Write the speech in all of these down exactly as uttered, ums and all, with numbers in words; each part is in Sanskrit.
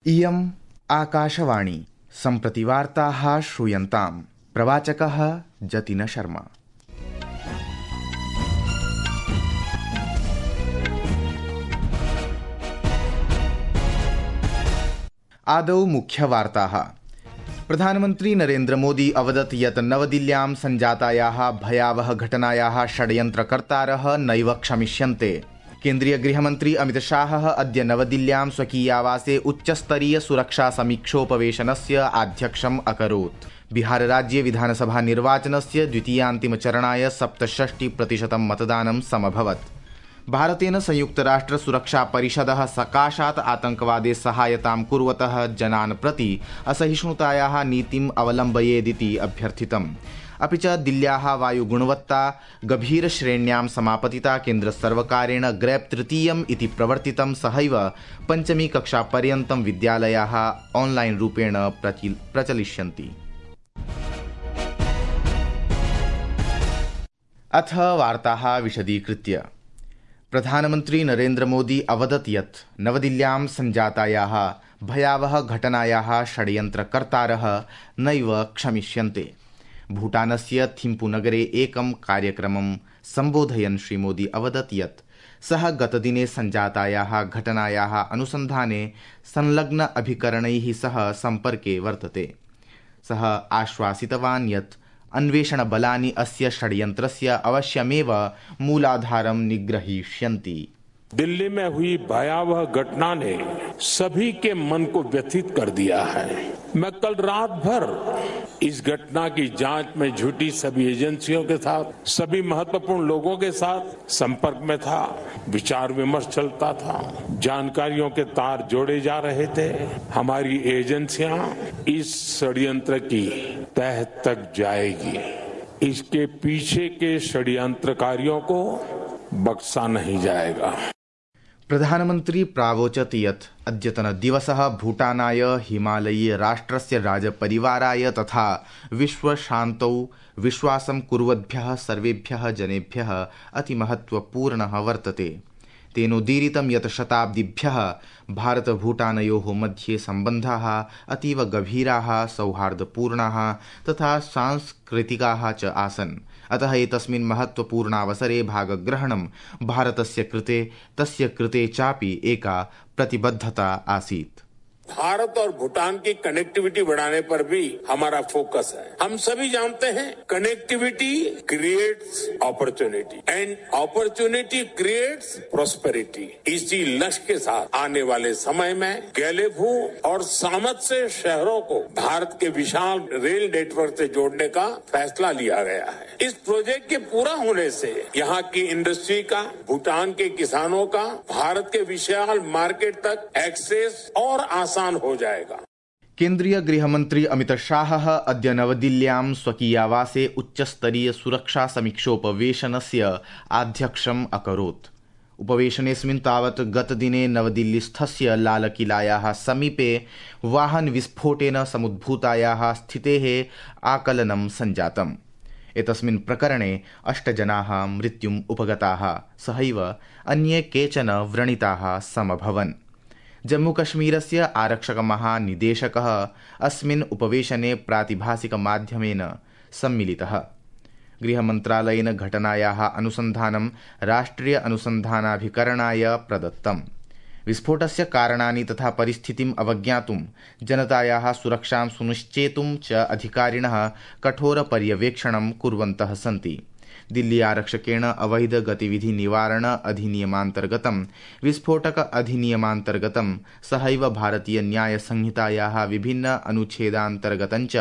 इयम् आकाशवाणी सम्प्रति वार्ताः श्रूयन्ताम्। प्रवाचकः जतिन शर्मा। आदौ मुख्यवार्ताः। प्रधानमन्त्री नरेन्द्र मोदी अवदत् यत् नवदिल्ल्यां सञ्जातायाः भयावह घटनायाः षड्यन्त्रकर्तारः नैव क्षमिष्यन्ते। केन्द्रीय गृहमन्त्री अमित शाहः अद्य नवदिल्ल्यां स्वकीयावासे उच्चस्तरीय सुरक्षा समीक्षोपवेशनस्य आध्यक्षम् अकरोत्। बिहारराज्ये विधानसभा निर्वाचनस्य द्वितीयान्तिमचरणाय सप्तषष्टि प्रतिशतं मतदानं समभवत्। भारतेन संयुक्तराष्ट्र सुरक्षा परिषदः सकाशात् आतंकवादे सहायतां कुर्वतः जनान् प्रति असहिष्णुतायाः नीतिम् अवलम्बयेदिति अभ्यर्थितम्। अपि च दिल्ल्याः वायुगुणवत्ता गभीरश्रेण्यां समापतिता। केन्द्रसर्वकारेण ग्रेप् तृतीयम् इति प्रवर्तितं। सहैव पञ्चमी कक्षापर्यन्तं विद्यालयाः ऑनलाइन रूपेण प्रचलिष्यन्ति। अथ वार्ताः विशदीकृत्य। प्रधानमन्त्री नरेन्द्र मोदी अवदत् यत् नवदिल्ल्यां सञ्जातायाः भयावह घटनायाः षड्यन्त्रकर्तारः नैव क्षमिष्यन्ते। भूटानस्य थिम्पूनगरे एकं कार्यक्रमं सम्बोधयन् श्रीमोदी अवदत् यत् सः गतदिने सञ्जातायाः घटनायाः अनुसन्धाने संलग्न अभिकरणैः सह सम्पर्के वर्तते। सः आश्वासितवान् यत् अन्वेषणबलानि अस्य षड्यन्त्रस्य अवश्यमेव मूलाधारं निग्रहीष्यन्ति। दिल्ली में हुई भयावह घटना ने सभी के मन को व्यथित कर दिया है। मैं कल रात भर इस घटना की जांच में जुटी सभी एजेंसियों के साथ, सभी महत्वपूर्ण लोगों के साथ संपर्क में था। विचार विमर्श चलता था, जानकारियों के तार जोड़े जा रहे थे। हमारी एजेंसियां इस षड्यंत्र की तह तक जाएगी। इसके पीछे के षड्यंत्रकारियों को बख्शा नहीं जाएगा। प्रधानमन्त्री प्रावोचत् यत् अद्यतनदिवसः भूटानाय हिमालयीय राष्ट्रस्य राजपरिवाराय तथा विश्वशान्तौ विश्वासं कुर्वद्भ्यः सर्वेभ्यः जनेभ्यः अतिमहत्वपूर्णः वर्तते। तेनोदीरितं यत् शताब्दिभ्यः भारतभूटानयोः मध्ये सम्बन्धाः अतीव गभीराः, सौहार्दपूर्णाः तथा सांस्कृतिकाः च आसन्। अतः एतस्मिन् महत्वपूर्णावसरे भागग्रहणं भारतस्य कृते तस्य कृते चापि एका प्रतिबद्धता आसीत्। भारत और भूटान की कनेक्टिविटी बढ़ाने पर भी हमारा फोकस है। हम सभी जानते हैं connectivity creates opportunity and opportunity creates prosperity. इसी लक्ष्य के साथ आने वाले समय में गैलेफू और सामत से शहरों को भारत के विशाल रेल नेटवर्क से जोड़ने का फैसला लिया गया है। इस प्रोजेक्ट के पूरा होने से यहाँ की इंडस्ट्री का, भूटान के किसानों का भारत के विशाल मार्केट तक एक्सेस और आसान हो जाएगा। केन्द्रीय गृहमन्त्री अमित शाहः अद्य नवदिल्ल्यां स्वकीयावासे उच्चस्तरीय सुरक्षा समीक्षोपवेशनस्य आध्यक्षम् अकरोत्। उपवेशनेऽस्मिन् तावत् गतदिने नवदिल्लीस्थस्य लालकिलायाः समीपे वाहनविस्फोटेन समुद्भूतायाः स्थितेः आकलनं सञ्जातम्। एतस्मिन् प्रकरणे अष्ट जनाः मृत्युम् उपगताः, सहैव अन्ये केचन व्रणिताः समभवन्। जम्मूकश्मीरस्य आरक्षकमहानिदेशकः अस्मिन् उपवेशने प्रातिभासिकमाध्यमेन सम्मिलितः। गृहमन्त्रालयेन घटनायाः अनुसन्धानं राष्ट्रिय अनुसन्धानाभिकरणाय प्रदत्तम्। विस्फोटस्य कारणानि तथा परिस्थितिम् अवज्ञातुं, जनतायाः सुरक्षां सुनिश्चेतुं च अधिकारिणः कठोरपर्यवेक्षणं कुर्वन्तः सन्ति। दिल्ली आरक्षकेण अवैध गतिविधि निवारण अधिनियमान्तर्गतं, विस्फोटक अधिनियमान्तर्गतं, सहैव भारतीय न्याय संहितायाः विभिन्न अनुच्छेदान्तर्गतं च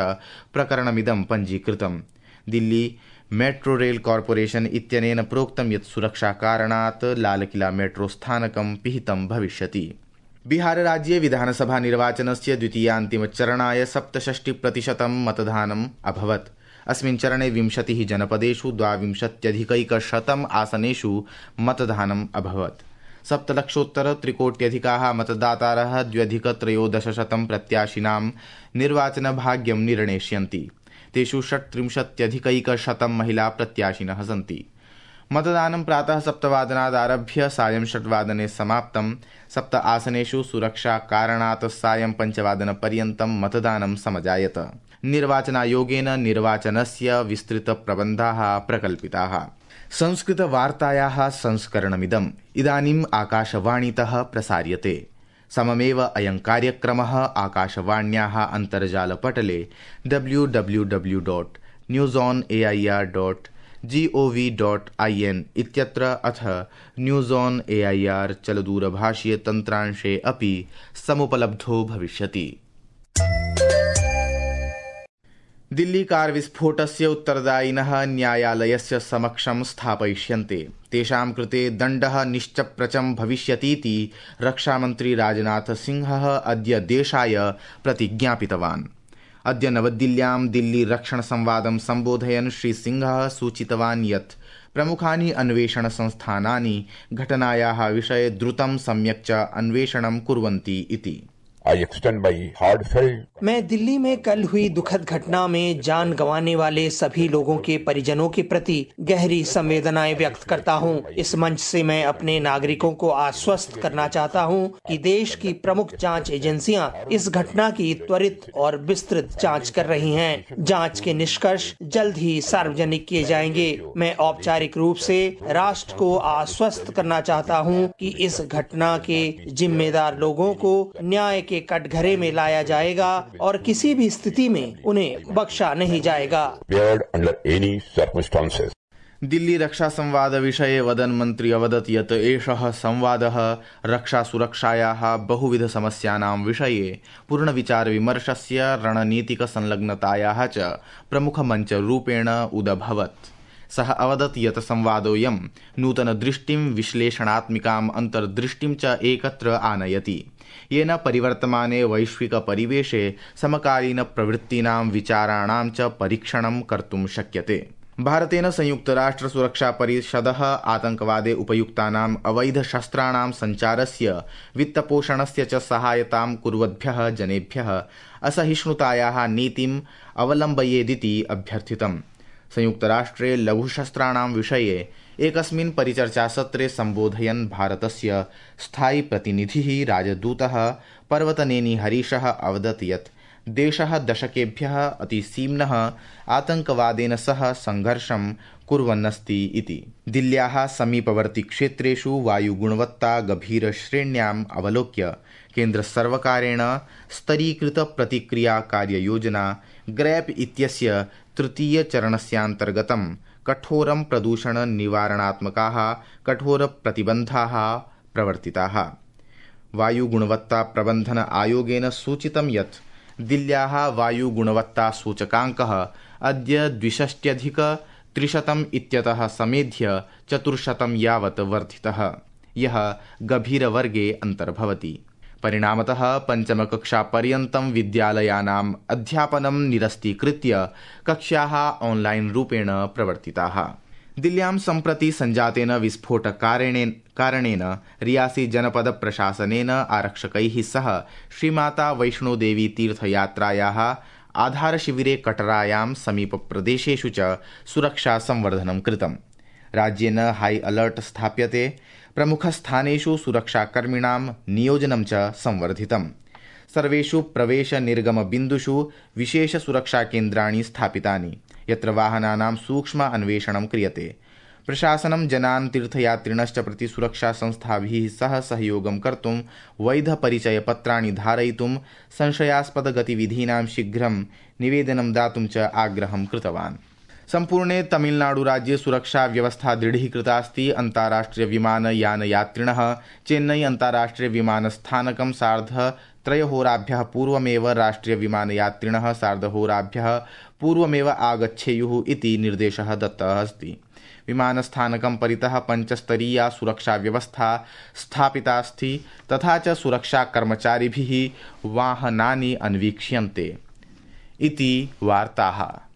प्रकरणमिदं पञ्जीकृतम्। दिल्ली मेट्रो रेल कॉर्पोरेशन इत्यनेन प्रोक्तं यत् सुरक्षाकारणात् लालकिला मेट्रो स्थानकं पिहितं भविष्यति। बिहारराज्ये विधानसभा निर्वाचनस्य द्वितीयान्तिमचरणाय सप्तषष्टि प्रतिशतं मतदानम् अभवत्। अस्मिन् चरणे विंशतिः जनपदेषु द्वाविंशत्यधिकैकशतम् आसनेषु मतदानम् अभवत्। सप्तलक्षोत्तर त्रिकोट्यधिकाः मतदातारः द्व्यधिकत्रयोदशशतं प्रत्याशिनां निर्वाचनभाग्यं निर्णेष्यन्ति। तेषु षट्त्रिंशत्यधिकैकशतं महिला प्रत्याशिनः सन्ति। मतदानं प्रातः सप्तवादनादारभ्य सायं षड्वादने समाप्तं। सप्त आसनेषु सुरक्षाकारणात् सायं पञ्चवादनपर्यन्तं मतदानं समजायत। निर्वाचनायोगेन निर्वाचनस्य विस्तृतप्रबन्धाः प्रकल्पिताः। संस्कृतवार्तायाः संस्करणमिदम् इदानीम् आकाशवाणीतः प्रसार्यते। सममेव अयं कार्यक्रमः आकाशवाण्याः अन्तर्जालपटले W W W dot news on A I R dot G O V dot I N इत्यत्र अथ news on A I R चलदूरभाषीय तन्त्रांशे अपि समुपलब्धो भविष्यति। दिल्ली कार विस्फोटस्य उत्तरदायिनः न्यायालयस्य समक्षं स्थापयिष्यन्ते। तेषां कृते दण्डः निश्चप्रचं भविष्यतीति रक्षामन्त्री राजनाथ सिंहः अद्य देशाय प्रतिज्ञापितवान्। अद्य नवदिल्ल्यां दिल्ली रक्षण संवादं सम्बोधयन् श्री सिंहः सूचितवान् यत् प्रमुखानि अन्वेषण संस्थानानि घटनायाः विषये द्रुतं सम्यक् च अन्वेषणं कुर्वन्ति इति। I extend my heartfelt मैं दिल्ली में कल हुई दुखद घटना में जान गंवाने वाले सभी लोगों के परिजनों के प्रति गहरी संवेदनाएं व्यक्त करता हूं। इस मंच से मैं अपने नागरिकों को आश्वस्त करना चाहता हूं कि देश की प्रमुख जांच एजेंसियां इस घटना की त्वरित और विस्तृत जांच कर रही हैं। जांच के निष्कर्ष जल्द ही सार्वजनिक किए जाएंगे। मैं औपचारिक रूप से राष्ट्र को आश्वस्त करना चाहता हूं कि इस घटना के जिम्मेदार लोगों को न्याय के कटघरे में लाया जाएगा और किसी भी स्थिति में उन्हें बख्शा नहीं जाएगा। दिल्ली रक्षा संवाद विषये वदन् मन्त्री अवदत् यत् एषः संवादः रक्षा सुरक्षायाः बहुविध समस्यानां विषये पूर्णविचारविमर्शस्य रणनीतिक संलग्नतायाः च प्रमुखमञ्चरूपेण उदभवत्। सः अवदत् यत् संवादोऽयं नूतनदृष्टिं विश्लेषणात्मिकाम् अन्तर्दृष्टिं च एकत्र आनयति, येन परिवर्तमाने वैश्विकपरिवेशे समकालीनप्रवृत्तीनां विचाराणां च परीक्षणं कर्तुं शक्यते। भारतेन संयुक्तराष्ट्रसुरक्षापरिषदः आतङ्कवादे उपयुक्तानाम् अवैधशस्त्राणां सञ्चारस्य वित्तपोषणस्य च सहायतां कुर्वद्भ्यः जनेभ्यः असहिष्णुतायाः नीतिम् अवलम्बयेदिति अभ्यर्थितम्। संयुक्तराष्ट्रे लघुशस्त्राणां विषये एकस्मिन् परिचर्चासत्रे सम्बोधयन् भारतस्य स्थायी प्रतिनिधिः राजदूतः पर्वतनेनी हरीशः अवदत् यत् देशः दशकेभ्यः अतिसीम्नः आतङ्कवादेन सह संघर्षं कुर्वन्नस्ति इति। दिल्ल्याः समीपवर्ती क्षेत्रेषु वायुगुणवत्ता गभीरश्रेण्याम् अवलोक्य केन्द्रसर्वकारेण स्तरीकृत प्रतिक्रिया कार्ययोजना ग्रैप इत्यस्य तृतीयचरणस्यान्तर्गतं कठोरं प्रदूषण निवारणात्मकाः कठोरप्रतिबन्धाः प्रवर्तिताः। वायुगुणवत्ता प्रबन्धन आयोगेन सूचितं यत् दिल्ल्याः वायुगुणवत्तासूचकाङ्कः अद्य द्विषष्ट्यधिक त्रिशतम् इत्यतः समेध्य चतुर्शतं यावत् वर्धितः, यः गभीरवर्गे अन्तर्भवति। परिणामतः पञ्चमकक्षापर्यन्तं विद्यालयानाम् अध्यापनं निरस्तीकृत्य कक्ष्याः ऑनलाइन रूपेण प्रवर्तिताः। दिल्ल्यां सम्प्रति संजातेन विस्फोटकारणेन कारणेन रियासी जनपद प्रशासनेन आरक्षकैः सह श्रीमाता वैष्णोदेवी तीर्थयात्रायाः आधारशिविरे कटरायां समीपप्रदेशेषु च सुरक्षा संवर्धनं कृतम्। राज्येन हाई अलर्ट स्थाप्यते। प्रमुखस्थानेषु सुरक्षाकर्मिणां नियोजनं च संवर्धितम्। सर्वेषु प्रवेश निर्गम बिन्दुषु विशेष सुरक्षाकेन्द्राणि स्थापितानि, यत्र वाहनानां सूक्ष्म अन्वेषणं क्रियते। प्रशासनं जनान् तीर्थयात्रिणश्च प्रति सुरक्षा संस्थाभिः सह सहयोगं कर्तुं वैधपरिचयपत्राणि धारयितुं संशयास्पद गतिविधीनां शीघ्रं निवेदनं दातुं च आग्रहं कृतवान्। सम्पूर्णे तमिलनाडु राज्ये सुरक्षा व्यवस्था दृढीकृतास्ति। अन्ताराष्ट्रिय विमानयानयात्रिणः चेन्नई अन्ताराष्ट्रिय विमानस्थानकं सार्ध त्रयहोराभ्यः पूर्वमेव राष्ट्रिय विमानयात्रिणः सार्धहोराभ्यः पूर्वमेव आगच्छेयुः इति निर्देशः दत्तः अस्ति। विमानस्थानकं परितः पञ्चस्तरीया सुरक्षा व्यवस्था स्थापितास्ति, तथा च सुरक्षाकर्मचारिभिः वाहनानि अन्वीक्ष्यन्ते इति वार्ताः।